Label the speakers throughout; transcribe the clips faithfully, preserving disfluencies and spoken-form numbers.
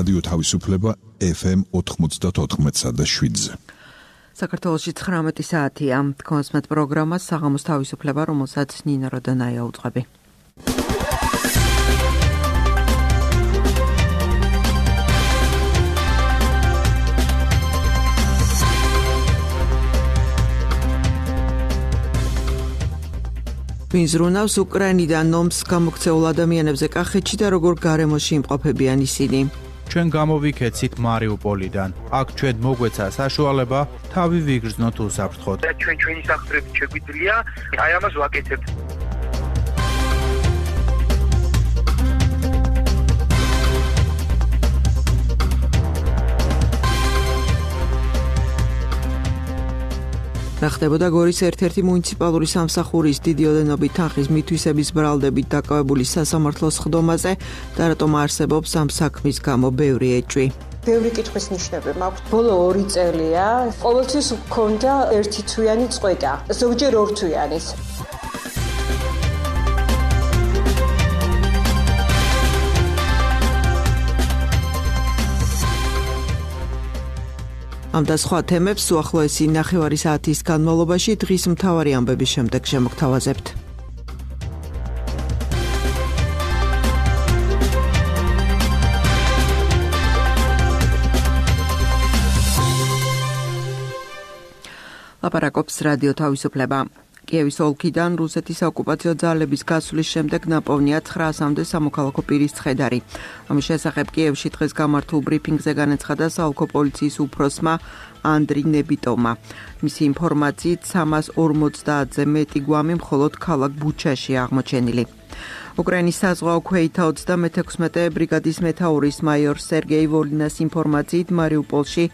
Speaker 1: რადიო თავისუფლება ეფ ემ ოთხმოცდაოთხ და შვიდზე.
Speaker 2: საქართველოში ცხრამეტი საათია. თქვენსმეთ პროგრამას საღამოს თავისუფლება, რომელსაც ნინა როდანაია უძღვები. ვინზრუნავს უკრაინიდან ომს გამოქცეულ ადამიანებზე კახეთში და როგორ გარემოში იმყოფებიან ისინი.
Speaker 3: ჩვენ გამოვიქეცით მარიუპოლიდან. აქ ჩვენ მოგვეცა საშუალება თავი ვიგრძნოთ უსაფრთხოდ.
Speaker 4: ჩვენ ჩვენი სახსრებით შეგვიძლია, აი ამას ვაკეთებთ.
Speaker 2: რა ხდებოდა გორის ერთ-ერთი მუნიციპალური სამსახურის დიდი ოდენობით თანხის მითვისების ბრალდებით დაკავებული სასამართლოს ხდომაზე და რატომ არსებობს ამ საქმის გამო ბევრი ეჭვი.
Speaker 5: ბევრი კითხვის ნიშნები მაქვს. ბოლო ორი წელია ყოველთვის გქონდა ერთი თვიანი წყვეტა, ზოგჯერ ორ თვიანის. ამ და სხვა თემებს უახლოესი ნახევარი საათის განმავლობაში დღის მთავარი ამბების შემდეგ შემოგთავაზებთ. ლაპარაკობს რადიო თავისუფლება. კიევის ოლქიდან რუსეთის ოკუპაციო ძალების გასვლის შემდეგ ნაპოვნია ცხრაასამდე სამოქალაქო პირის ცხედარი. ამის შესახებ კიევში დღეს გამართულ ბრიფინგზე განაცხადა საოლქო პოლიციის უფროსმა ანდრი ნებიტოვმა. მისი ინფორმაციით სამას ორმოცდაათზე მეტი გვამი მხოლოდ ქალაქ ბუჩაში აღმოჩენილი. უკრაინის საზღვაო ქვეითა ოცდამეთექვსმეტე ბრიგადის მეთაურის მაიორ სერგეი ვოლინას ინფორმაციით მარიუპოლში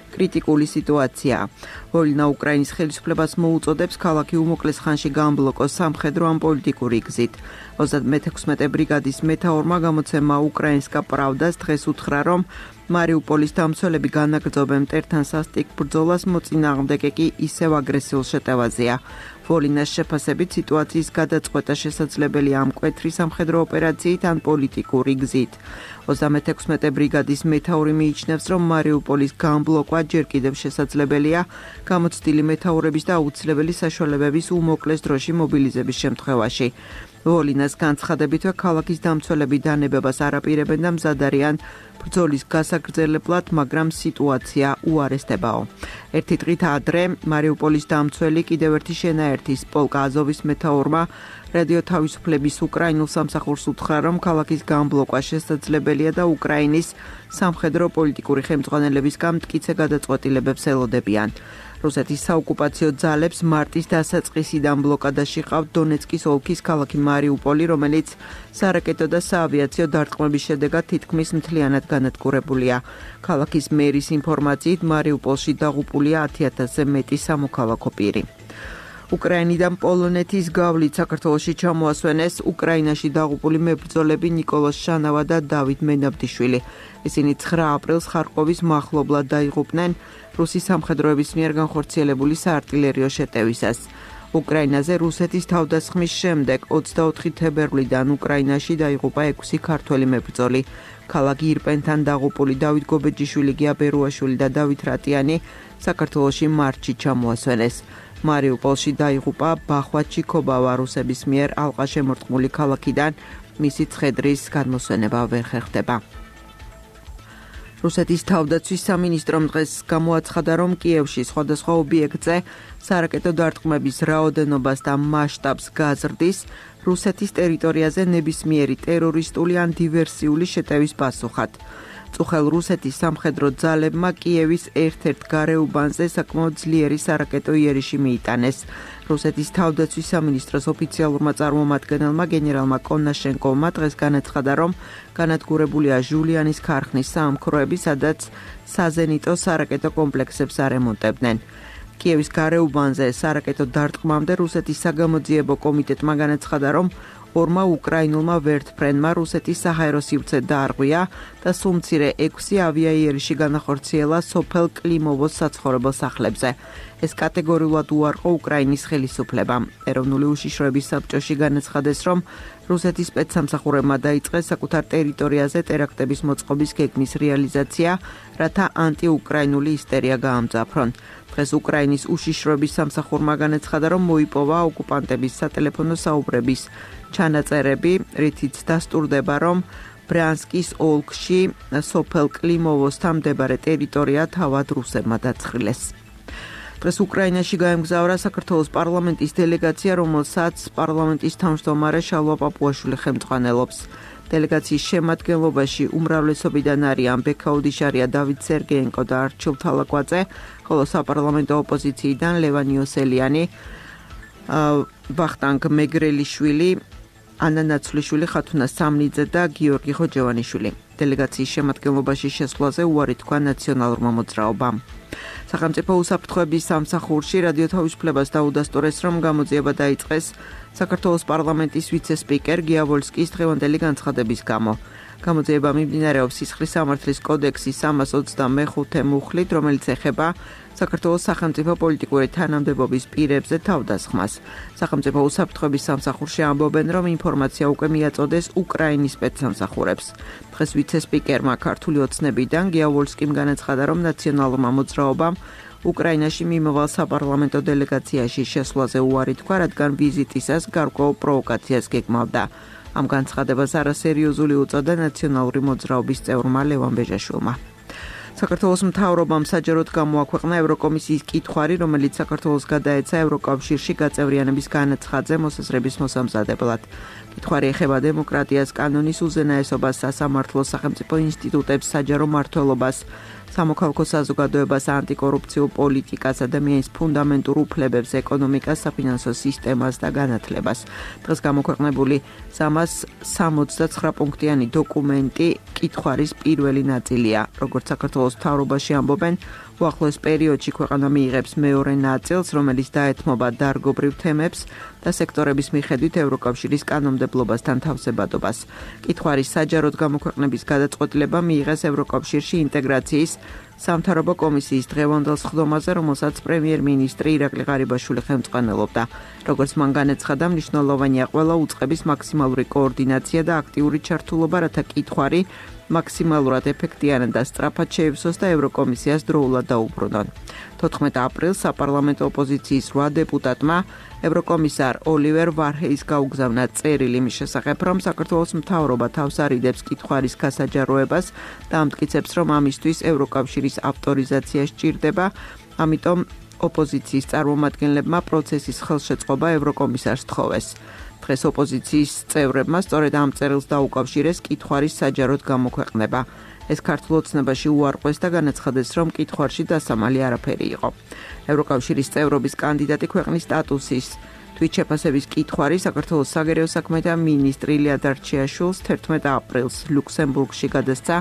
Speaker 5: კრიტიკული სიტუაციაა. ვოლინა უკრაინის ხელისუფლებას მოუწოდებს ქალაქი უმოკლეს ხანში გაამბლოკოს სამხედრო ან პოლიტიკური გზით. ოცდამეთექვსმეტე ბრიგადის მეთაურმა გამოცემა უკრაინსკა პრავდას დღეს უთხრა, რომ მარიუპოლის დამცველები განაგრძობენ მტერთან სასტიკ ბრძოლას, მოწინააღმდეგე კი ისევ აგრესიულ შეტევაზეა. ვოლინას შეფასებით სიტუაციის გადაწყვეტა შესაძლებელია ამ მკვეთრი სამხედრო ოპერაციით ან პოლიტიკური გზით. ოცდამეთექვსმეტე ბრიგადის მეთაური მიიჩნევს, რომ მარიუპოლის გამბლოკვა ჯერ კიდევ შესაძლებელია გამოცდილი მეთაურების და აუცილებელი საშუალებების უმოკლეს დროში მობილიზების შემთხვევაში. ვოლინას განცხადებითვე ქალაქის დამცველები დანებებას არ აპირებენ და მზად არიან ბრძოლის გასაგრძელებლად, მაგრამ სიტუაცია უარესდებაო. ერთი დღით ადრე მარიუპოლის დამცველი კიდევ ერთი შენაერთის პოლკა აზოვის მეთაურმა რადიო თავისუფლების უკრაინულ სამსახურს უთხრა, რომ ქალაქის გამბლოკვა შესაძლებელია და უკრაინის სამხედრო პოლიტიკური ხელმძღვანელებისგან მტკიცე გადაწყვეტილებებს ელოდებიან. რუსეთის საოკუპაციო ძალებს მარტის დასაწყისიდან ბლოკადაში ყავთ დონეცკის ოლქის ქალაქი მარიუპოლი, რომელიც სარაკეტო და საავიაციო დარტყმების შედეგად თითქმის მთლიანად განადგურებულია. ქალაქის მერის ინფორმაციით მარიუპოლში დაღუპულია ათი ათასზე მეტი სამოქალაქო პირი. უკრაინიდან პოლონეთის გავლით საქართველოში ჩამოასვენეს უკრაინაში დაღუპული მებრძოლები ნიკოლოზ შანავა და დავით მენაბდიშვილი. ისინი ცხრა აპრილს ხარკოვის მახლობლად დაიღუპნენ რუსის სამხედროების მიერ განხორციელებული საარტილერიო შეტევისას. უკრაინაზე რუსეთის თავდასხმის შემდეგ ოცდაოთხი თებერვლიდან უკრაინაში დაიღუპა ექვსი ქართველი მებრძოლი. ქალაქ ირპენთან დაღუპული დავით გობეჯიშვილი, გია ბერუაშვილი და დავით რატიანი საქართველოში მარტში ჩამოასვენეს. მარიუპოლში დაიღუპა ბახვა ჩიკობავა რუსების მიერ ალყა შემორტყმული ქალაქიდან, მისი ცხედრის გადმოსვენება ვერ ხერხდება. რუსეთის თავდაცვის სამინისტრომ დღეს გამოაცხადა, რომ კიევში სხვადასხვა ობიექტზე სარაკეტო დარტყმების რაოდენობას და მასშტაბს გაზრდის რუსეთის ტერიტორიაზე ნებისმიერი ტერორისტული ან დივერსიული შეტევის პასუხად. წუხელ რუსეთის სამხედრო ძალებმა კიევის ერთ-ერთ გარეუბანზე საკმაოდ ძლიერი სარაკეტო იერიში მიიტანეს. რუსეთის თავდაცვის სამინისტროს ოფიციალურმა წარმომადგენელმა გენერალმა კონაშენკოვმა დღეს განაცხადა, რომ განადგურებულია ჟულიანის ქარხნის საამქროები, სადაც საზენიტო სარაკეტო კომპლექსებს არემონტებდნენ. კიევის გარეუბანზე სარაკეტო დარტყმამდე რუსეთის საგამოძიებო კომიტეტმა განაცხადა, რომ ორმა უკრაინულმა ვერტფრენმა რუსეთის საჰაერო სივრცე დაარღვია და სულ მცირე ექვსი ავიაიერიში განახორციელა სოფელ კლიმოვოს საცხოვრებელ სახლებზე.
Speaker 2: ეს კატეგორიულად უარყო უკრაინის ხელისუფლებამ. ეროვნული უშიშროების საბჭოში განაცხადეს, რომ რუსეთის სპეცსამსახურებმა დაიწყეს საკუთარ ტერიტორიაზე ტერაქტების მოწყობის გეგმის რეალიზაცია, რათა ანტიუკრაინული ისტერია გაამძაფრონ. დღეს უკრაინის უშიშროების სამსახურმა განაცხადა, რომ მოიპოვა ოკუპანტების სატელეფონო საუბრების ჩანაწერები, რითიც დასტურდება, რომ ბრიანსკის ოლქში სოფელ კლიმოვოსთან მდებარე ტერიტორია თავად რუსებმა დაცხრილეს. დღეს უკრაინაში გაემგზავრა საქართველოს პარლამენტის დელეგაცია, რომელსაც პარლამენტის თავმჯდომარე შალვა პაპუაშვილი ხელმძღვანელობს. დელეგაციის შემადგენლობაში უმრავლესობიდან არიან ბექაუდიშარია, დავით სერგეენკო და არჩილ თალაკვაძე, ხოლო საპარლამენტო ოპოზიციიდან ლევან იოსელიანი, ვახტანგ მეგრელიშვილი, ანა ნაცვლიშვილი, ხათუნა სამნიძე და გიორგი ხოჯევანიშვილი. დელეგაციის შემადგენლობაში შესვლაზე უარი თქვა ნაციონალურმა მოძრაობამ. სახელმწიფო უსაფრთხოების სამსახურში რადიო თავისუფლებას დაუდასტურეს, რომ გამოძიება დაიწყეს საქართველოს პარლამენტის ვიცე-სპიკერ გიავოლსკის დღევანდელი განცხადების გამო. გამოძიება მიმდინარეობს სისხლის სამართლის კოდექსის სამას ოცდამეხუთე მუხლით, რომელიც ეხება საქართველოს სახელმწიფო პოლიტიკური თანამდებობის პირებზე თავდასხმას. სახელმწიფო უსაფრთხოების სამსახურში ამბობენ, რომ ინფორმაცია უკვე მიაწოდეს უკრაინის სპეცსამსახურებს. დღეს ვიცე-სპიკერმა ქართული ოცნებიდან გიავოლსკიმ განაცხადა, რომ ნაციონალურმა მოძრაობამ უკრაინაში მიმავალ საპარლამენტო დელეგაციაში შესვლაზე უარი თქვა, რადგან ვიზიტისას გარკვეულ პროვოკაციას გეგმავდა. ამ განცხადებას არასერიოზული უწოდა ნაციონალური მოძრაობის წევრმა ლევან ბეჟაშვილმა. საქართველოს მთავრობამ საჯაროდ გამოაქვეყნა ევროკომისიის კითხვარი, რომელიც საქართველოს გადაეცა ევროკავშირში გაწევრიანების განაცხადზე მოსაზრების მოსამზადებლად. კითხვარი ეხება დემოკრატიას, კანონის უზენაესობას, სასამართლოს, სახელმწიფო ინსტიტუტებს, საჯარო მმართველობას, სამოქალაქო საზოგადოებას, ანტიკორუფციულ პოლიტიკას, ადამიანის ფუნდამენტურ უფლებებს, ეკონომიკას, საფინანსო სისტემას და განათლებას. დღეს გამოქვეყნებული სამას სამოცდაცხრა პუნქტიანი დოკუმენტი კითხვარის პირველი ნაწილია. როგორც საქართველოს მთავრობაში ამბობენ, უახლოეს პერიოდში ქვეყანა მიიღებს მეორე ნაწილს, რომელიც დაეთმობა დარგობრივ თემებს და სექტორების მიხედვით ევროკავშირის კანონმდებლობასთან თავსებადობას. კითხვარის საჯაროდ გამოქვეყნების გადაწყვეტილება მიიღეს ევროკავშირში ინტეგრაციის სამთავრობო კომისიის დღევანდელ სხდომაზე, რომელსაც პრემიერ-მინისტრი ირაკლი ღარიბაშვილი ხელმძღვანელობდა. როგორც მან განაცხადა, მნიშვნელოვანია ყველა უწყების მაქსიმალური კოორდინაცია და აქტიური ჩართულობა, რათა კითხვარი მაქსიმალურად ეფექტიანად და სწრაფად შეივსოს და ევროკომისიას დროულად დაუბრუნონ. თოთხმეტ აპრილს საპარლამენტო ოპოზიციის რვა დეპუტატმა ევროკომისარ ოლივერ ვარჰეის გაუგზავნა წერილი იმის შესახებ, რომ საქართველოს მთავრობა თავს არიდებს კითხვარის გასაჯაროებას და ამტკიცებს, რომ ამისთვის ევროკავშირის ავტორიზაცია სჭირდება, ამიტომ ოპოზიციის წარმომადგენლებმა პროცესის ხელშეწყობა ევროკომისარს თხოვეს. დღეს ოპოზიციის წევრებმა სწორედ ამ წერილს დაუკავშირეს კითხვარის საჯაროდ გამოქვეყნება. ეს ქართულ ოცნებაში უარყვეს და განაცხადეს, რომ კითხვარში დასამალი არაფერი იყო. ევროკავშირის წევრობის კანდიდატი ქვეყნის სტატუსის თვითშეფასების კითხვარი საქართველოს საგარეო საქმეთა მინისტრი ილია დარჩიაშვილს თერთმეტ აპრილს ლუქსემბურგში გადასცა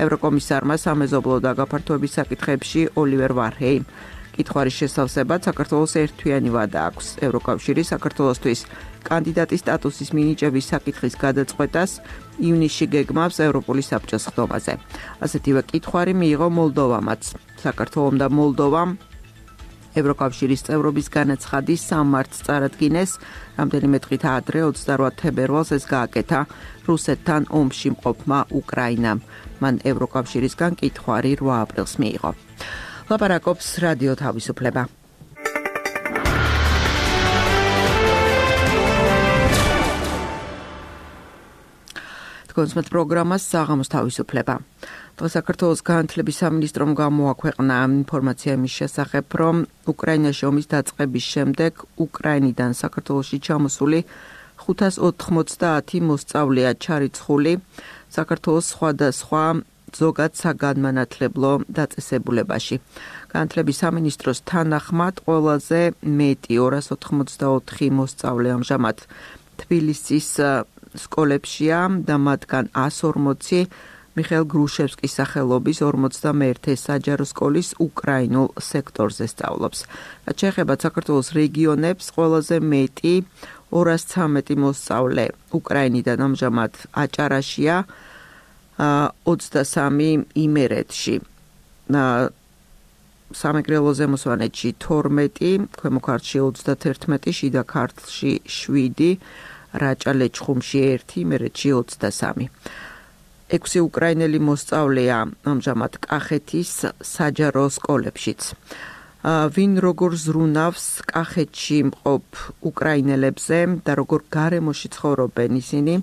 Speaker 2: ევროკომისარმა სამეზობლო და გაფართოების საკითხებში ოლივერ ვარჰეიმ. კითხვარის შესავსებად საქართველოს ერთთვიანი ვადა აქვს. ევროკავშირი საქართველოსთვის კანდიდატის სტატუსის მინიჭების საკითხის გადაწყვეტას ივნისში გეგმავს ევროპული საბჭოს სხდომაზე. ასეთივე კითხვარი მიიღო მოლდოვამაც. საქართველომ და მოლდოვამ ევროკავშირის წევრობის განაცხადის სამ მარტს წარადგინეს, რამდენიმე დღით ადრე ოცდარვა თებერვალს ეს გააკეთა რუსეთთან ომში მყოფმა უკრაინამ. მან ევროკავშირისგან კითხვარი რვა აპრილს მიიღო. ლაპარაკობს რადიო თავისუფლება. კონსმეთ პროგრამას საღამოს თავისუფლება. დღეს საქართველოს განათლების სამინისტრომ გამოაქვეყნა ინფორმაცია იმის შესახებ, რომ უკრაინაში ომის დაწყების შემდეგ უკრაინიდან საქართველოში ჩამოსული ხუთას ოთხმოცდაათი მოსწავლეა ჩარიცხული საქართველოს სხვადასხვა ზოგად საგანმანათლებლო დაწესებულებაში. განათლების სამინისტროს თანახმად ყველაზე მეტი ორას ოთხმოცდაოთხი მოსწავლე ამჟამად თბილისის სკოლებშია და მათგან ას ორმოცი მიხეილ გრუშევსკის სახელობის ორმოცდამეერთე საჯარო სკოლის უკრაინულ სექტორზე სწავლობს. რაც შეეხება საქართველოს რეგიონებს, ყველაზე მეტი ორას ცამეტი მოსწავლე უკრაინიდან ამჟამად აჭარაშია, ოცდასამი იმერეთში.
Speaker 5: სამეგრელოზე მოსვანეთში თორმეტი, ქვემო ქართლში ოცდათერთმეტი, შიდა ქართლში შვიდი, რაჭა-ლეჩხუმში ერთი, იმერეთში ოცდასამი. ექვსი უკრაინელი მოსწავლეა ამჟამად კახეთის საჯარო სკოლებშიც. ვინ როგორ ზრუნავს კახეთში მყოფ უკრაინელებზე და როგორ გარემოში ცხოვრობენ ისინი,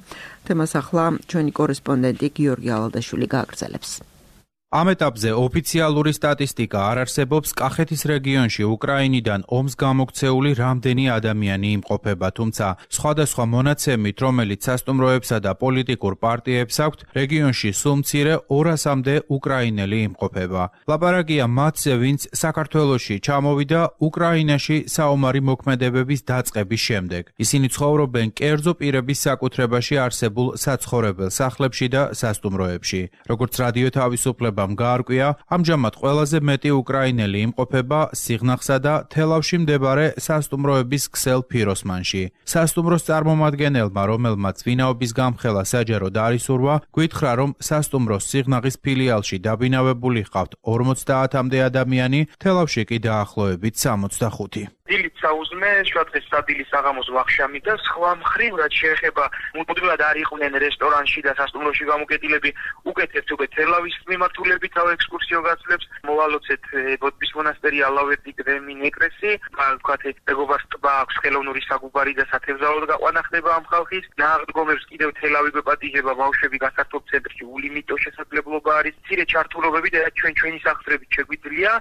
Speaker 5: თემას ახლა ჩვენი კორესპონდენტი გიორგი ალადაშვილი გააგრძელებს.
Speaker 3: ამ ეტაპზე ოფიციალური სტატისტიკა არ არსებობს კახეთის რეგიონში უკრაინიდან ომს გამოქცეული რამდენი ადამიანი იმყოფება, თუმცა სხვადასხვა მონაცემით, რომელიც სასტუმროებსა და პოლიტიკურ პარტიებს აქვთ, რეგიონში სულ მცირე ორასამდე უკრაინელი იმყოფება. ლაპარაკია მათზე, ვინც საქართველოში ჩამოვიდა უკრაინაში საომარი მოქმედებების დაწყების შემდეგ. ისინი ცხოვრობენ კერძო პირების საკუთრებაში არსებულ საცხოვრებელ სახლებში და სასტუმროებში. როგორც რადიო თავისუფლება გაარკვია, ამჟამად ყველაზე მეტი უკრაინელი იმყოფება სიღნაღსა და თელავში მდებარე სასტუმროების ქსელ ფიროსმანში. სასტუმროს წარმომადგენელმა, რომელმაც ვინაობის გამხელა საჯაროდ არ ისურვა, გითხრა, რომ სასტუმროს სიღნაღის ფილიალში დაბინავებული ჰყავთ ორმოცდაათამდე ადამიანი, თელავში კი დაახლოებით სამოცდახუთი.
Speaker 4: დილით საუზმე, შუადღეს სადილის საღამოს ვახშამი და სხვა მხრივ, რაც შეეხება მუდმივად არ იყვნენ რესტორანში და სასტუმროში გამოკეტილები, უკეთებთ უკვე თელავის მიმართულებით თავ ექსკურსიო გაცვლებს, მოვალოცეთ ბოდბის მონასტერი, ალავერდი, კრემინ ეკლესი, ვთქვათ, მეგობარს ტბა აქვს, ხელოვნური საგუბარი და სათევზაოდ გაყვანა ხდება ამ ხალხის, ნაღდგომებს კიდევ თელავი გვეპატიჟება, ბავშვები გასართობ ცენტრში ულიმიტო შესაძლებლობა არის, მცირე ჩართულობები და ჩვენ ჩვენი სახსრებით შეგვიძლია,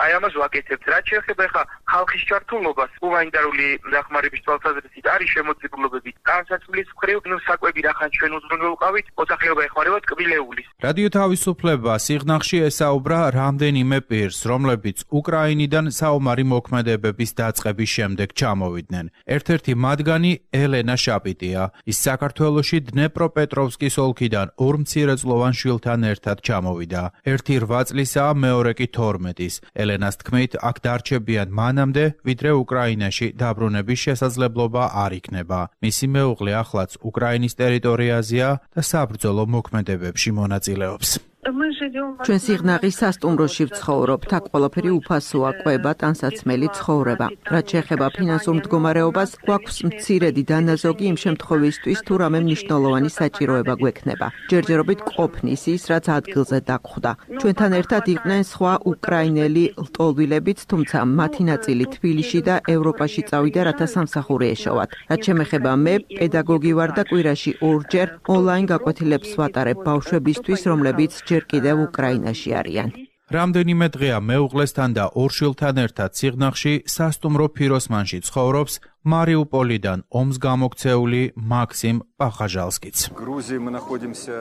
Speaker 4: აი ამას ვაკეთებთ. რაც შეეხება ხა ხალხის ჩართულობას ჰუმანიტარული დახმარების თვალსაზრისით არის შემოწირულობები განსაცვლის მხრივ საკვები რახან ჩვენ უზრუნველყავით მოსახლეობა ეხმარება ტკბილეულის.
Speaker 3: რადიო თავისუფლება სიღნაღში ესაუბრა რამდენიმე პირს, რომლებიც უკრაინიდან საომარი მოქმედებების დაწყების შემდეგ ჩამოვიდნენ. ერთ-ერთი მათგანი ელენა შაპიტია. ის საქართველოში დნეპროპეტროვსკის ოლქიდან ორ მცირეწლოვან შვილთან ერთად ჩამოვიდა. ერთი რვა წლისაა, მეორე კი თორმეტის. ელენას თქმით, აქ დარჩებიან მანამდე, ვიდრე უკრაინაში დაბრუნების შესაძლებლობა არ იქნება. მისი მეუღლე ახლაც უკრაინის ტერიტორიაზეა და საბრძოლო მოქმედებებში მონაწილეობს.
Speaker 5: ჩვენ სიღნაღის სასტუმროში ვცხოვრობთ, აქ ყველაფერი უფასოა, კვება, ტანსაცმელი, ცხოვრება. რაც შეეხება ფინანსურ მდგომარეობას, გვაქვს მცირედი დანაზოგი იმ შემთხვევისთვის, თუ რამე მნიშვნელოვანი საჭიროება გვექნება. ჯერჯერობით ყოფნის ის, რაც ადგილზე დაგხვდა. ჩვენთან ერთად იყვნენ სხვა უკრაინელი ლტოლვილებიც, თუმცა მათი ნაწილი თბილისში და ევროპაში წავიდა, რათა სამსახური ეშოვათ. რაც შემეხება მე, პედაგოგი ვარ და კვირაში ორჯერ ონლაინ გაკვეთილებს ვატარებ ბავშვებისთვის, რომლებიც ჯერ კიდევ უკრაინაში არიან.
Speaker 3: რამდენიმე დღეა მეუღლესთან და ორ შვილთან ერთად სიღნაღში სასტუმრო ფიროსმანში ცხოვრობს მარიუპოლიდან ომს გამოქცეული მაქსიმ პახაჟალსკიც.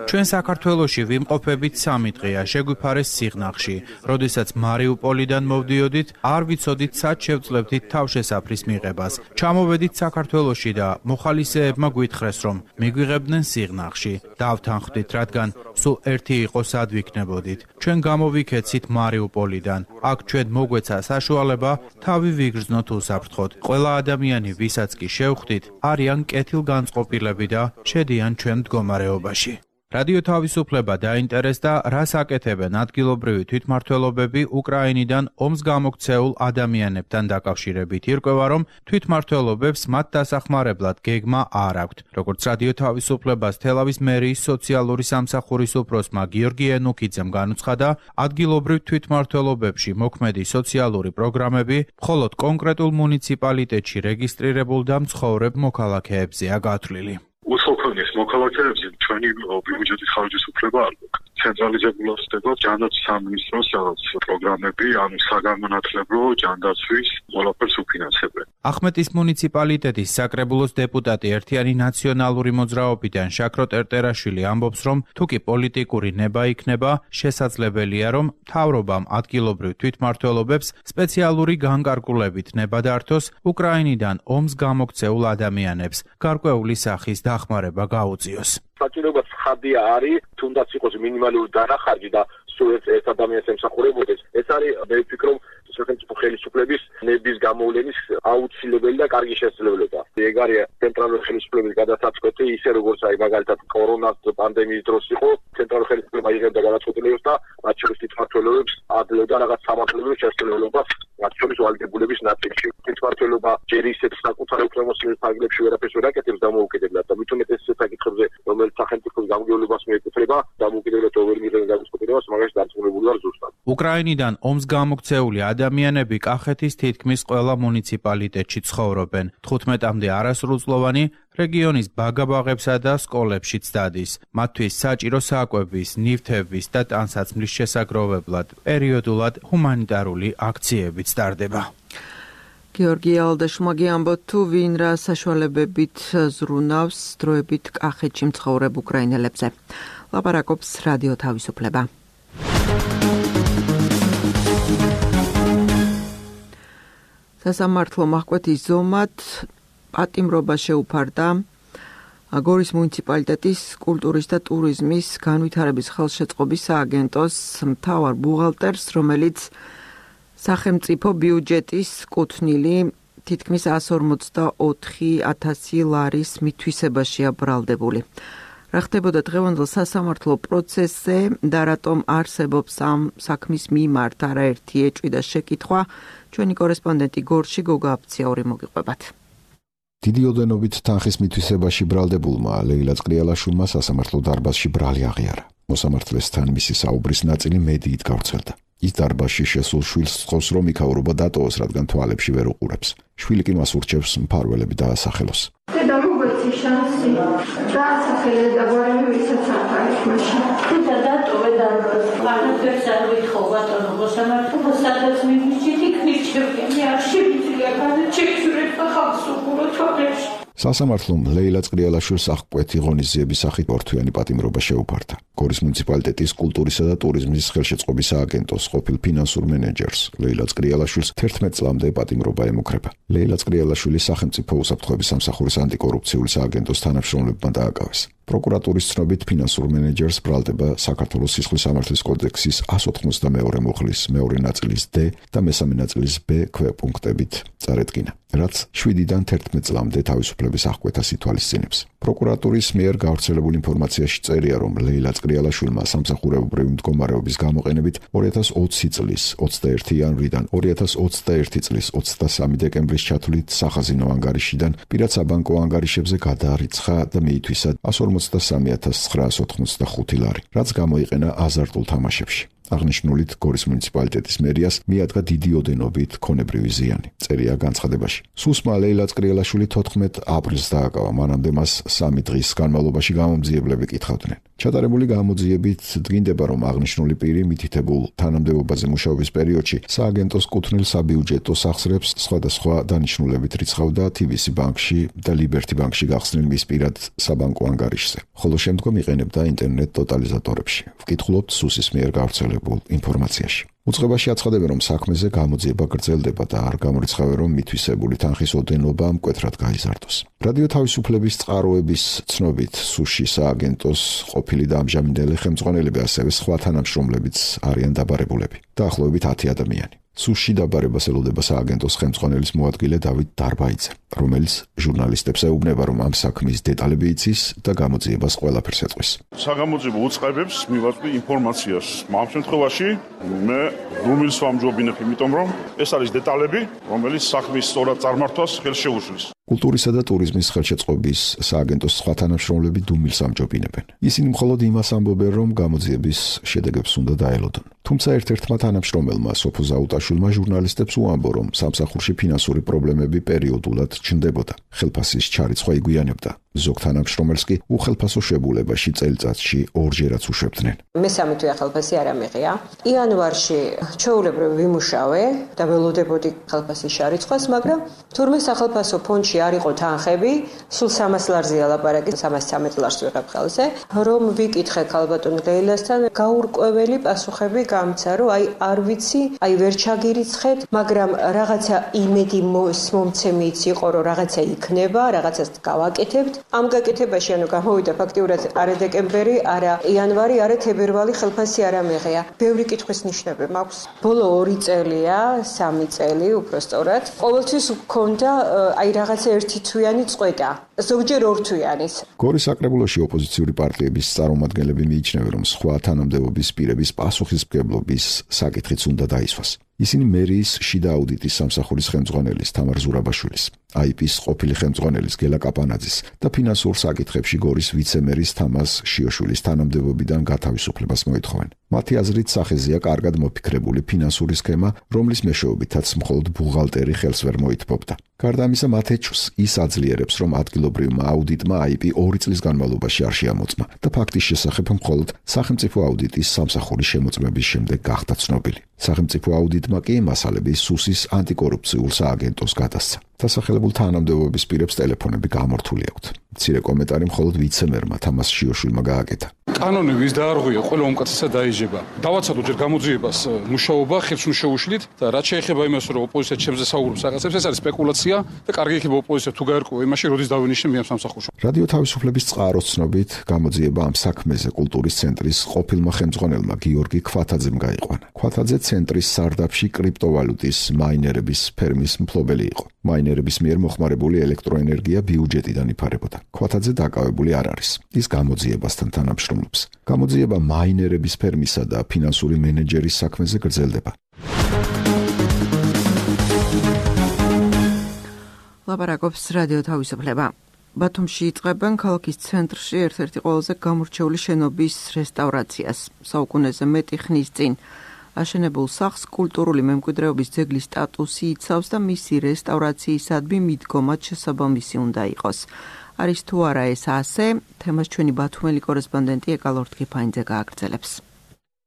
Speaker 3: ჩვენ საქართველოში ვიმყოფებით სამი დღეა, შეგვიფარეს სიღნაღში. როდესაც მარიუპოლიდან მოვდიოდით, არ ვიცოდით სად შევძლებდით თავშესაფრის მიღებას. ჩამოვედით საქართველოში და მოხალისეებმა გვითხრეს, რომ მიგვიღებდნენ სიღნაღში. დავთანხმდით, რადგან სულ ერთი იყო სად ვიქნებოდით. ჩვენ გამოვიქეცით მარიუპოლიდან. აქ ჩვენ მოგვეცა საშუალება თავი ვიგრძნოთ უსაფრთხოდ. ყველა ადამიანი ვისაც კი შევხვდით, არიან კეთილგანწყობილები და შედიან ჩვენ მდგომარეობაში. რადიო თავისუფლება დაინტერესდა, რას აკეთებენ ადგილობრივი თვითმმართველობები უკრაინიდან ომს გამოქცეულ ადამიანებთან დაკავშირებით. ირკვევა, რომ თვითმმართველობებს მათ დასახმარებლად გეგმა არ აქვთ. როგორც რადიო თავისუფლებას თელავის მერიის სოციალური სამსახურის უფროსმა გიორგი ენუქიძემ განუცხადა, ადგილობრივ თვითმმართველობებში მოქმედი სოციალური პროგრამები მხოლოდ კონკრეტულ მუნიციპალიტეტში რეგისტრირებულ და მცხოვრებ მოქალაქეებზეა გათვლილი.
Speaker 6: უსოფრნის მოქალაქეებზე ჩვენი ბიუჯეტის ხარჯის უფლება არ გვაქვს. ცენტრალიზებულად ხდება ჯანდაცვის სამინისტროს რაღაც პროგრამები, ანუ საგანმანათლებლო ჯანდაცვის ყველაფერს უფინანსებენ.
Speaker 3: ახმეტის მუნიციპალიტეტის საკრებულოს დეპუტატი ერთიანი ნაციონალური მოძრაობიდან შაქრო ტერტერაშვილი ამბობს, რომ თუკი პოლიტიკური ნება იქნება, შესაძლებელია, რომ მთავრობამ ადგილობრივ თვითმმართველობებს სპეციალური განკარგულებით ნება დართოს უკრაინიდან ომს გამოქცეულ ადამიანებს გარკვეული სახის დახმარება გაუწიოს.
Speaker 7: საჭიროება ცხადია არის, თუნდაც იყოს მინიმალური დანახარჯი და სულ ერთ ადამიანს ემსახურებოდეს. ეს არის, მე ვფიქრობ, სახელმწიფო ხელისუფლების ნების გამოვლენის აუცილებელი და კარგი შესაძლებლობა. ეგ არის ცენტრალური ხელისუფლების გადასაწყვეტი, ისე როგორც აი მაგალითად კორონას პანდემიის დროს იყო, ცენტრალური ხელისუფლება იღებდა გადაწყვეტილებას და მათ შორის თვითმმართველობებს ადლებდა რაღაც სამართლებრივ შესაძლებლობას, მათ შორის ვალდებულების ნაწილში. თვითმმართველობა ჯერ ისეთ საკუთარ უფლებამოსილების ფარგლებში ვერაფერს ვერ აკეთებს დამოუკიდებლად და მით უმეტეს საკითხებზე, რომელიც სახელმწიფოს გამგევლებას მიეკუთვნება, დამოუკიდებლად ვერ მიიღებს გადაწყვეტილებას, მაგაში დარწმუნებული ვარ ზუსტად.
Speaker 3: უკრაინიდან ომს გამოქცეული ადამიანები კახეთის თითქმის ყველა მუნიციპალიტეტში ცხოვრობენ. თხუთმეტამდე არასრულწლოვანი რეგიონის ბაგაბაღებსა და სკოლებშიც დადის. მათთვის საჭირო საკვების, ნივთების და ტანსაცმლის შესაგროვებლად პერიოდულად ჰუმანიტარული აქციებიც ტარდება.
Speaker 2: გიორგი ალდაშმაგი ამბობთ, თუ ვინ რა საშუალებებით ზრუნავს დროებით კახეთში მცხოვრებ უკრაინელებზე. ლაპარაკობს რადიო თავისუფლება. სასამართლო მაჰკვეთის ზომად პატიმრობა შეუფარდა გორის მუნიციპალიტეტის კულტურის და ტურიზმის განვითარების ხელშეწყობის სააგენტოს მთავარ ბუღალტერს, რომელიც სახელმწიფო ბიუჯეტის კუთვნილი თითქმის εκατს ორმოცდაოთხი ათასი ლარის მითვისებაშია ბრალდებული. რა ხდებოდა დღევანდელ სასამართლო პროცესზე და რატომ არსებობს ამ საქმის მიმართ არაერთი ეჭვი და შეკითხვა, ჩვენი კორესპონდენტი გორში გოგა აფციაური მოგიყვებათ.
Speaker 1: დიდი ოდენობით თანხის მითვისებაში ბრალდებულმა ლეილა წრიალაშვილმა სასამართლო დარბაზში ბრალი აღიარა. მოსამართლესთან მისი საუბრის ნაწილი მედიით გავრცელდა. ის დარბაზში შესულ შვილს სთხოვს, რომ იქაურობა დატოვოს, რადგან თვალებში ვერ უყურებს. შვილი კი მას ურჩევს მფარველები დაასახელოს.
Speaker 8: დედა, მოგვეცი შანსი. დაასახელე და გვარი ვისაც ახარებს მაშინ. დედა, დატოვე დარბაზს. არაფერს არ ვითხოვ ბატონო მოსამართლე, სადაც მივიჭით, იქ მირჩევია. მე არ შევიძლია განაჩექცურებ და ხალხს უყურო თვალებში.
Speaker 1: სასამართლომ ლეილა წრიალაშვილს აღკვეთი ღონისძიების სახით ორთვიანი პატიმრობა შეუფარდა. გორის მუნიციპალიტეტის კულტურისა და ტურიზმის ხელშეწყობის სააგენტოს ყოფილ ფინანსურ მენეჯერს ლეილა წრიალაშვილს თერთმეტ წლამდე პატიმრობა ემუქრება. ლეილა წრიალაშვილი სახელმწიფო უსაფრთხოების სამსახურის ანტიკორუფციული სააგენტოს თანამშრომლებმა დააკავეს. პროკურატურის ცნობით ფინანსურ მენეჯერს ბრალდება საქართველოს სისხლის სამართლის კოდექსის εκατს ოცდაათი მუხლის მეორე ნაწილის D და მესამე ნაწილის B ქვეპუნქტებით წარედგინა, რაც შვიდიდან თერთმეტ წლამდე თავისუფლების აღკვეთას ითვალისწინებს. პროკურატურის მიერ გავრცელებულ ინფორმაციაში წერია, რომ ლეილა წრიალაშვილმა სამსახურებრივი მდგომარეობის გამოყენებით ორი ათას ოცი წლის ოცდაერთი იანვრიდან ორი ათას ოცდაერთი წლის ოცდასამი დეკემბრის ჩათვლით სახაზინო ანგარიშიდან პირად საბანკო ანგარიშებზე გადაარიცხა და მიითვისა εκατს ორმოცდასამი ათას ცხრაას ოთხმოცდახუთი ლარი, რაც გამოიყენა აზარტულ თამაშებში. აღნიშნულით გორის მუნიციპალიტეტის მერიას მიადგა დიდი ოდენობით ქონებრივი ზიანი. წერია განცხადებაში. სუსმა ლეილა წრიალაშვილი თოთხმეტ აპრილს დააკავა, მანამდე მას სამი დღის განმავლობაში გამომძიებლები კითხავდნენ. ჩატარებული გამოძიებით დგინდება, რომ აღნიშნული პირი მითითებულ თანამდებობაზე მუშაობის პერიოდში სააგენტოს კუთვნილ საბიუჯეტო სახსრებს სხვადასხვა დანიშნულებით რიცხავდა თი ვი სი ბანკში და ლიბერთი ბანკში გახსნილ მის პირად საბანკო ანგარიშზე, ხოლო შემდგომ იყენებდა ინტერნეტ ტოტალიზატორებში. ვკითხულობთ სუსის მიერ გავრცელებულ ინფორმაციაში. უწყებაში აცხადებენ, რომ საქმეზე გამოძიება გრძელდება და არ გამორიცხავენ, რომ მითვისებული თანხის ოდენობა მკვეთრად გაიზარდოს. რადიო თავისუფლების წყაროების ცნობით, სუში სააგენტოს ყოფილი და ამჟამინდელი ხელმძღვანელები, ასევე სხვა თანამშრომლებიც არიან დაბარებულები. დაახლოებით ათი ადამიანი. სუში დაბარებას ელოდება სააგენტოს ხელმძღვანელის მოადგილე დავით დარბაიძე, რომელიც ჟურნალისტებს ეუბნება, რომ ამ საქმის დეტალები იცის და გამოძიებას ყველაფერს ეტყვის.
Speaker 9: საგამოძიებო უწყებებს მივაწვდი ინფორმაციას. ამ შემთხვევაში მე რუმილს ვამჯობინებ, იმიტომ რომ ეს არის დეტალები, რომელიც საქმის სწორად წარმართვას ხელს შეუშლის. კულტურისა და ტურიზმის ხელშეწყობის სააგენტოს სხვა თანამშრომლები დუმილს ამჯობინებენ. ისინი მხოლოდ იმას ამბობენ, რომ გამოძიების შედეგებს უნდა დაელოდონ. თუმცა ერთ-ერთმა თანამშრომელმა სოფო ზაუტაშვილმა ჟურნალისტებს უამბო, რომ სამსახურში ფინანსური პრობლემები პერიოდულად ჩნდებოდა. ხელფასის ჩარიცხვა იგვიანებდა. ზოგ თანამშრომელს კი უხელფასო შებულებაში წელიწადში ორჯერაც უშვებდნენ.
Speaker 10: მესამე თვე ხელფასი არ ამიღია. იანვარში ჩვეულებრივ ვიმუშავე და ველოდებოდი ხელფასის ჩარიცხვას, მაგრამ თურმე სახელფასო ფონდში არ იყო თანხები, სულ სამას ლარზეა ლაპარაკი, სამას ცამეტ ლარს ვიღებ ხელზე, რომ ვიკითხე ქალბატონ ლეილასთან, გაურკვეველი პასუხები გამცა, რომ აი არ ვიცი, აი ვერ ჩაგირიცხეთ, მაგრამ რაღაცა იმედი მომცემიც იყო, რომ რაღაცა იქნება, რაღაცას გავაკეთებთ. ამ გაკეთებაში ანუ გამოვიდა ფაქტიურად არა დეკემბერი, არა იანვარი, არა თებერვალი ხელფასი არ ამეღია. ბევრი კითხვის ნიშნები მაქვს. ბოლო ორი წელია, სამი წელი უბრალოდ. ყოველთვის გქონდა აი რაღაცა ერთი თვიანი წყვეტა. ზოგჯერ ორ თვიანის.
Speaker 1: გორის საკრებულოში ოპოზიციური პარტიების წარმომადგენლები მიიჩნევენ, რომ სხვა თანამდებობის პირების პასუხისმგებლობის საკითხიც უნდა დაისვას. ისინი მერიის შიდა აუდიტის სამსახურის ხელმძღვანელის თამარ ზურაბაშვილის, აი პის ყოფილი ხელმძღვანელის გელა კაპანაძის და ფინანსურ საკითხებში გორის ვიცემერის თამაზ შიოშვილის თანამდებობიდან გათავისუფლებას მოითხოვენ. მათი აზრით სახეზეა კარგად მოფიქრებული ფინანსური სქემა, რომლის მეშვეობითაც მხოლოდ ბუღალტერი ხელს ვერ მოითბობდა. გარდა ამისა, მათ ეჭვს ის აძლიერებს, რომ ადგილობრივმა აუდიტმა აი პი ორი წლის განმავლობაში არ შეამოწმა და ფაქტის შესახებ მხოლოდ სახელმწიფო აუდიტის სამსახურის შემოწმების შემდეგ გახდა ცნობილი. სახელმწიფო აუდიტმა კი მასალების სუსის ანტიკორუფციულ სააგენტოს გადასცა. დასახელებულ თანამდებობის პირებს ტელეფონები გამორთული აქვთ. მცირე კომენტარი მხოლოდ ვიცემერმა თამაზ შიოშვილმა გააკეთა.
Speaker 11: კანონი ვის დაარღვია, ყველა უმკაცრესად დაიჯება. დავაცადო ჯერ გამოძიებას მუშაობა ხებს ნუ შეუშლით და რაც შეეხება იმას, რომ ოპოზიცია ჩემზე საუბრობს რაღაცებს, ეს არის სპეკულაცია და კარგი იქნება ოპოზიცია თუ გაერკვევა იმაში, როდის დავინიშნე მე ამ სამსახურში.
Speaker 1: რადიო თავისუფლების წყაროს ცნობით, გამოძიება ამ საქმეზე კულტურის ცენტრის ყოფილმა ხელმძღვანელმა გიორგი ქვათაძემ გაიყვანა. ქვათაძე ცენტრის სარდაფში კრიპტოვალუტის მაინერების ფერმის მფლობელი იყო. მაინერების მიერ მოხმარებული ელექტროენერგია ბიუჯეტიდან იფარებოდა. ქვათაძე დაკავებული არ არის. ის გამოძიებასთან თანამშრომლობს. გამოძიება მაინერების ფერმისა და ფინანსური მენეჯერის საქმეზე გრძელდება.
Speaker 2: ლაპარაკობს რადიო თავისუფლება. ბათუმში იწყებენ ქალაქის ცენტრში ერთ-ერთი ყველაზე გამორჩეული შენობის რესტავრაციას. საუკუნეზე მეტი ხნის წინ აშენებულ სახლს კულტურული მემკვიდრეობის ძეგლის სტატუსი იცავს და მისი რესტავრაციისადმი მიდგომად შესაბამისი უნდა იყოს. არის თუ არა ეს ასე, თემას ჩვენი ბათუმელი კორესპონდენტი ეკალორთქიფაინძე გააგრძელებს.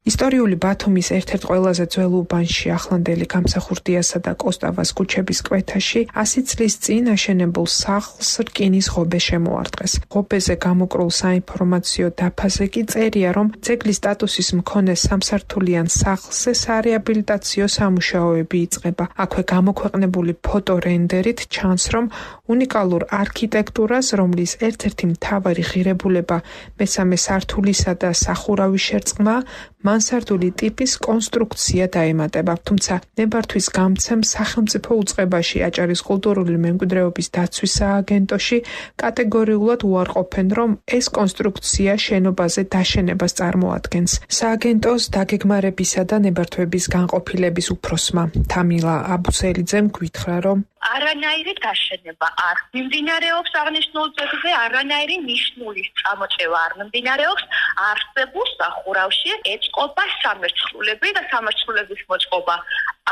Speaker 12: ისტორიული ბათუმის ერთ-ერთ ყველაზე ძველ უბანში ახლანდელი გამსახურდიასა და კოსტავას ქუჩების კვეთაში ასი წლის წინ აშენებულ სახლს რკინის ღობე შემოარტყეს. ღობეზე გამოკრულ საინფორმაციო დაფაზე კი წერია, რომ ძეგლის სტატუსის მქონე სამსართულიან სახლზე სარეაბილიტაციო სამუშაოები იწყება. აქვე გამოქვეყნებული ფოტორენდერით ჩანს, რომ უნიკალურ არქიტექტურას, რომლის ერთ-ერთი მთავარი ღირებულება მესამე სართულისა და სახურავის შერწყმა, მანსარდული ტიპის კონსტრუქცია დაემატება. თუმცა ნებართვის გამცემ სახელმწიფო უწყებაში აჭარის კულტურული მემკვიდრეობის დაცვის სააგენტოში კატეგორიულად უარყოფენ, რომ ეს კონსტრუქცია შენობაზე დაშენებას წარმოადგენს. სააგენტოს დაგეგმარებისა და ნებართვების განყოფილების უფროსმა თამილა აბუსელიძემ გვითხრა, რომ
Speaker 13: არანაირი დაშენება არ მიმდინარეობს აღნიშნულ ძეგლზე, არანაირი ნიშნულის წამოწევა არ მიმდინარეობს. არსებულ სახურავში ეწყობა სამერცხლულები და სამერცხლულების მოწყობა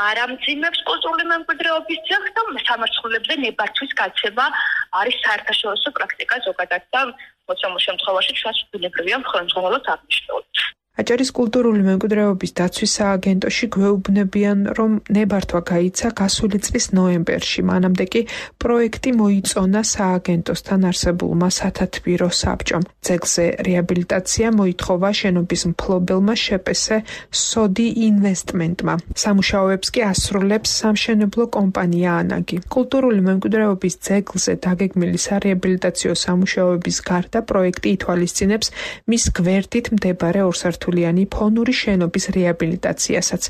Speaker 13: არ ამძიმებს კულტურული მემკვიდრეობის ძეგლს და სამერცხლულებზე ნებართვის გაცემა არის საერთაშორისო პრაქტიკა ზოგადად და მოცემულ შემთხვევაში ჩვენს ბუნებრივია ხელმძღვანელოს აღნიშნულით.
Speaker 12: აჭარის კულტურული მემკვიდრეობის დაცვის სააგენტოში გვეუბნებიან, რომ ნებართვა გაიცა გასული წლის ნოემბერში. მანამდე კი პროექტი მოიწონა სააგენტოსთან არსებულმა სათათბირო საბჭომ. ძეგლზე რეაბილიტაცია მოითხოვა შენობის მფლობელმა შეპესე სოდი ინვესტმენტმა. სამუშაოებს კი ასრულებს სამშენებლო კომპანია ანაგი. კულტურული მემკვიდრეობის ძეგლზე დაგეგმილი სარეაბილიტაციო სამუშაოების გარდა პროექტი ითვალისწინებს მის გვერდით მდებარე ორსართულიანი ფონური შენობის რეაბილიტაციასაც,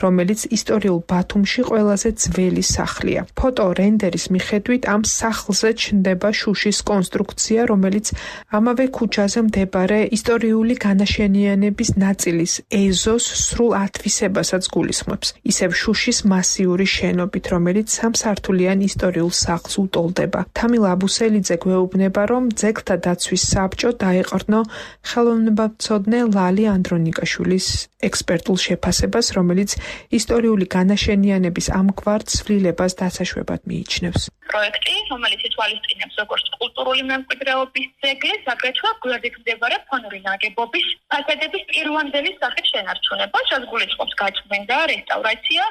Speaker 12: რომელიც ისტორიულ ბათუმში ყველაზე ძველი სახლია. ფოტო რენდერის მიხედვით ამ სახლზე ჩნდება შუშის კონსტრუქცია, რომელიც ამავე ქუჩაზე მდებარე ისტორიული განაშენიანების ნაწილის ეზოს სრულ ათვისებასაც გულისხმობს. ისევ შუშის მასიური შენობით, რომელიც სამსართულიან ისტორიულ სახლს უტოლდება. თამილა აბუსელიძე გვეუბნება, რომ ძეგლთა დაცვის საბჭო დაეყრდნო ხელოვნებაცოდნე ლალი ანდრონიკაშვილის ექსპერტულ შეფასებას, რომელიც ისტორიული განაშენიანების ამგვარ ცვლილებას დასაშვებად მიიჩნევს.
Speaker 13: პროექტი, რომელიც ითვალისწინებს როგორც კულტურული მემკვიდრეობის ძეგლის, აგრეთვე გვერდით მდებარე ფონური ნაგებობის ფასადების პირვანდელი სახით შენარჩუნება, რაც გულისხმობს გაწმენდა, რესტავრაცია,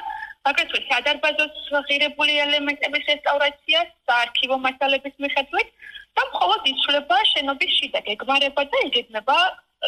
Speaker 13: აგრეთვე სადარბაზოს ღირებული ელემენტების რესტავრაცია, საარქივო მასალების მიხედვით და მხოლოდ იცვლება შენობის შიდა გეგმარება და იგეგმება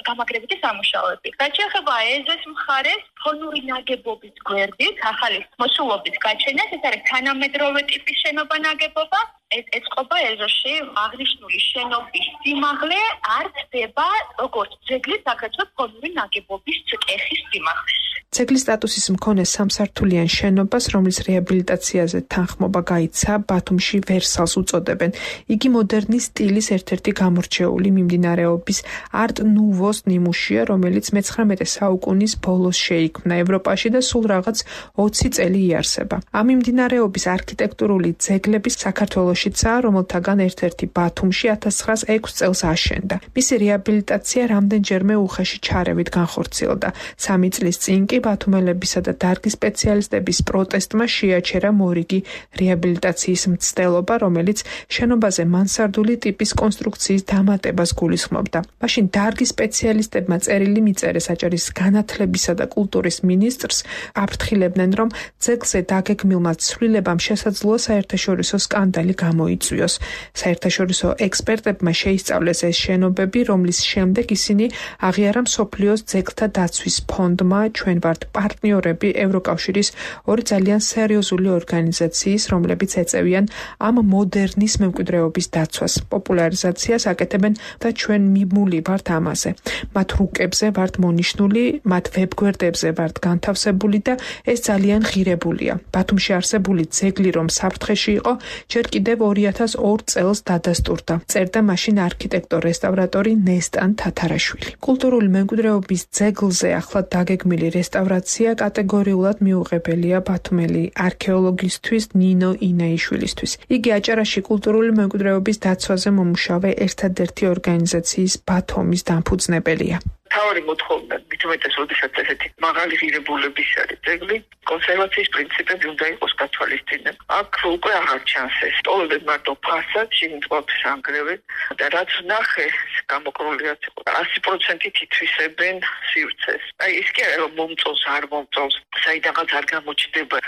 Speaker 13: გამაგრებითი სამუშაოები. რაც შეეხება ეზოს მხარეს, ფონური ნაგებობის გვერდით, ახალი მოსულობის გაჩენას, ეს არის თანამედროვე ტიპის შენობა ნაგებობა. ეს ეწყობა ეზოში აღნიშნული შენობის სიმაღლე არ ხდება როგორც ძეგლის, აგრეთვე ფონური ნაგებობის კეხის სიმაღლე.
Speaker 12: ძეგლის სტატუსის მქონე სამსართულიან შენობას, რომლის რეაბილიტაციაზე თანხმობა გაიცა, ბათუმში ვერსალს უწოდებენ. იგი მოდერნის სტილის ერთ-ერთი გამორჩეული მიმდინარეობის არტ ნუვოს ნიმუშია, რომელიც მეცხრამეტე საუკუნის ბოლოს შეიქმნა ევროპაში და სულ რაღაც ოცი წელი იარსება. ამ მიმდინარეობის არქიტექტურული ძეგლების საქართველოშიცაა, რომელთაგან ერთ-ერთი ბათუმში ათას ცხრაას ექვს წელს აშენდა. მისი რეაბილიტაცია რამდენჯერმე უხეში ჩარევით განხორციელდა. სამი წლის წინ კი ბათუმელებისა და დარგის სპეციალისტების პროტესტმა შეაჩერა მორიგი რეაბილიტაციის მცდელობა, რომელიც შენობაზე მანსარდული ტიპის კონსტრუქციის დამატებას გულისხმობდა. მაშინ დარგის სპეციალისტებმა წერილი მიწერეს აჭარის განათლებისა და კულტურის მინისტრს, აფრთხილებდნენ, რომ ძეგლზე დაგეგმილმა ცვლილებამ შესაძლოა საერთაშორისო სკანდალი გამოიწვიოს. საერთაშორისო ექსპერტებმა შეისწავლეს ეს შენობები, რომლის შემდეგ ისინი აღიარა მსოფლიოს ძეგლთა დაცვის ფონდმა, ჩვენ ვართ პარტნიორები ევროკავშირის ორი ძალიან სერიოზული ორგანიზაციის, რომლებიც ეწევიან ამ მოდერნის მემკვიდრეობის დაცვას, პოპულარიზაციას აკეთებენ და ჩვენ მიმული ვართ ამაზე. მათ რუკებზე ვართ მონიშნული, მათ ვებგვერდებზე ვართ განთავსებული და ეს ძალიან ღირებულია. ბათუმში არსებული ძეგლი, რომ საფრთხეში იყო, ჯერ კიდევ ორი ათას ორ წელს დადასტურდა. წერდა მაშინ არქიტექტორ-რესტავრატორი ნესტან თათარაშვილი. კულტურული მემკვიდრეობის ძეგლზე ახლად დაგეგმილი რესტავრაცია კატეგორიულად მიუღებელია ბათუმელი არქეოლოგისთვის ნინო ინაიშვილისთვის. იგი აჭარაში კულტურული მემკვიდრეობის დაცვაზე მომუშავე ერთადერთი ორგანიზაციის ბათუმის დამფუძნებელია.
Speaker 4: თავი მოთხოვნა მithumetes როდესაც ესეთი მაღალი ღირებულების არის ძეგლი, კონსერვაციის პრინციპები უნდა იყოს გათვალისწინებული. აქ უკვე აღარ ჩანს ეს. ტოვებენ მარტო ფასადს, შიგნით ყველაფერს ანგრევენ და რაც ნახე, გამოკრულიათ იყო. ასი პროცენტით ითვისებენ სივრცეს. აი ის კი არა რომ მომწონს, არ მომწონს, საიდანაც არ გამოჩნდება.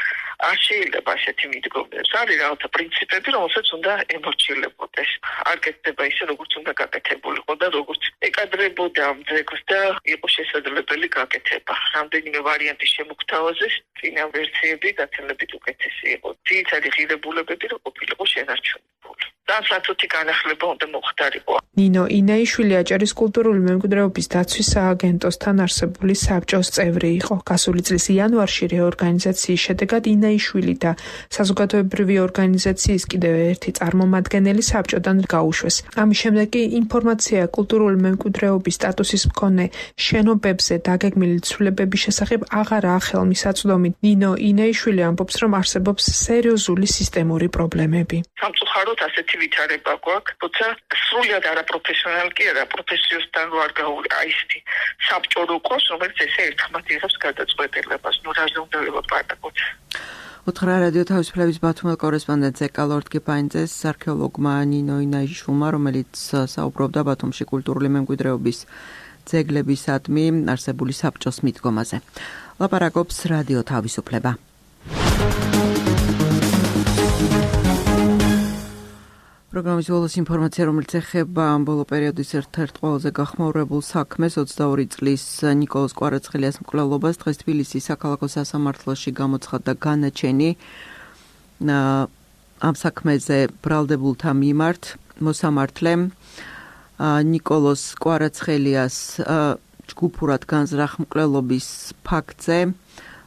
Speaker 4: არ შეიძლება ასეთი მიდგომები. არის რაღაცა პრინციპები, რომელსაც უნდა ემორჩილებოდეს. არ კეთდება ისე, როგორც უნდა გაკეთებულიყო და როგორც ეკადრებოდა ამ ძეგლს და იყო შესაძლებელი გაკეთება. რამდენიმე ვარიანტი შემოგთავაზეს, წინა ვერსიები გაცილებით უკეთესი იყო. ძირითადი ღირებულებები რო ყოფილიყო შენარჩუნებული. განსაცუთი განახლება უნდა მოხდარიყო.
Speaker 12: ნინო ინაიშვილი აჭარის კულტურული მემკვიდრეობის დაცვის სააგენტოსთან არსებული საბჭოს წევრი იყო. გასული წლის იანვარში რეორგანიზაციის შედეგად ინაიშვილი და საზოგადოებრივი ორგანიზაციის კიდევ ერთი წარმომადგენელი საბჭოდან გაუშვეს. ამის შემდეგ კი ინფორმაცია კულტურული მემკვიდრეობის სტატუსის მქონე შენობებზე დაგეგმილი ცვლილებების შესახებ აღარაა ხელმისაწვდომი. ნინო ინაიშვილი ამბობს, რომ არსებობს სერიოზული სისტემური პრობლემები.
Speaker 4: სამწუხაროდ ასეთი ვითარება გვაქვს, თუმცა სრულად არაპროფესიონალი კი არა, პროფესიოსთან რო არ გაუვი აისთი საბჭო რო ყოს, რომელიც ესე ერთხმად იღებს გადაწყვეტილებას, ნუ რაზე უნდა ველაპარაკოთ.
Speaker 2: უთხრა რადიო თავისუფლების ბათუმელ კორესპონდენტზე კალორდ კიფაინძეს არქეოლოგმა ნინო ინაიშვილმა, რომელიც საუბრობდა ბათუმში კულტურული მემკვიდრეობის ძეგლებისადმი არსებული საბჭოს მიდგომაზე. ლაპარაკობს რადიო თავისუფლება. პროგრამის ბოლოს ინფორმაცია, რომელიც ეხება ბოლო პერიოდის ერთ-ერთ ყველაზე გახმაურებულ საქმეს, ოცდაორი წლის ნიკოლოზ კვარაცხელიას მკვლელობას დღეს თბილისის საქალაქო სასამართლოში გამოცხადდა განაჩენი ამ საქმეზე ბრალდებულთა მიმართ. მოსამართლემ ნიკოლოზ კვარაცხელიას ჯგუფურად განზრახ მკვლელობის ფაქტზე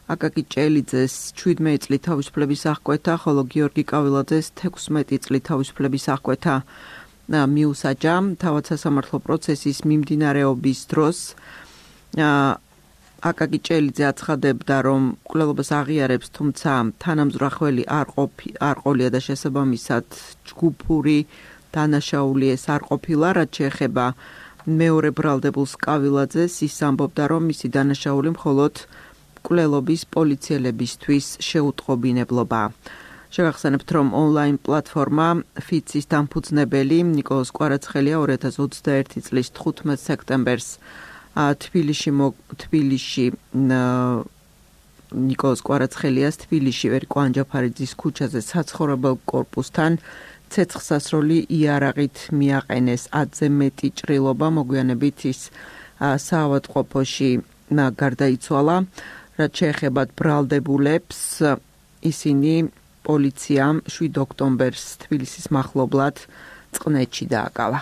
Speaker 2: აკაკი ჭელიძეს შვიდმეტი წლით თავისუფლების აღკვეთა, ხოლო გიორგი კავილაძეს თექვსმეტი წლით თავისუფლების აღკვეთა მიუსაჯა. თავად სასამართლო პროცესის მიმდინარეობის დროს აკაკი ჭელიძე აცხადებდა, რომ მკვლელობას აღიარებს, თუმცა თანამზრახველი არ ყოფი არ ყოლია და შესაბამისად ჯგუფური დანაშაული ეს არ ყოფილა. რაც შეეხება მეორე ბრალდებულს კავილაძეს, ის ამბობდა, რომ მისი დანაშაული მხოლოდ მკვლელობის პოლიციელებისთვის შეუტყობინებლობაა. შევახსენებთ, რომ ონლაინ პლატფორმა ფიცის დამფუძნებელი ნიკოლოზ კვარაცხელია ორი ათას ოცდაერთი წლის თხუთმეტ სექტემბერს თბილისში თბილისში ნიკოლოზ კვარაცხელიას თბილისში ვერიკო ანჯაფარიძის ქუჩაზე საცხოვრებელ კორპუსთან ცეცხლსასროლი იარაღით მიაყენეს. ათზე მეტი ჭრილობა, მოგვიანებით ის საავადმყოფოში გარდაიცვალა. რაც შეეხება ბრალდებულებს, ისინი პოლიციამ შვიდ ოქტომბერს თბილისის მახლობლად წყნეთში დააკავა.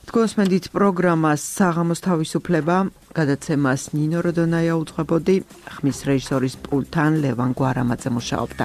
Speaker 2: თქვენსმენდით პროგრამას საღამოს თავისუფლება, გადაცემას ნინო როდონაია უძღვებოდი, ხმის რეჟისორის პულტთან ლევან გვარამაძე მუშაობდა.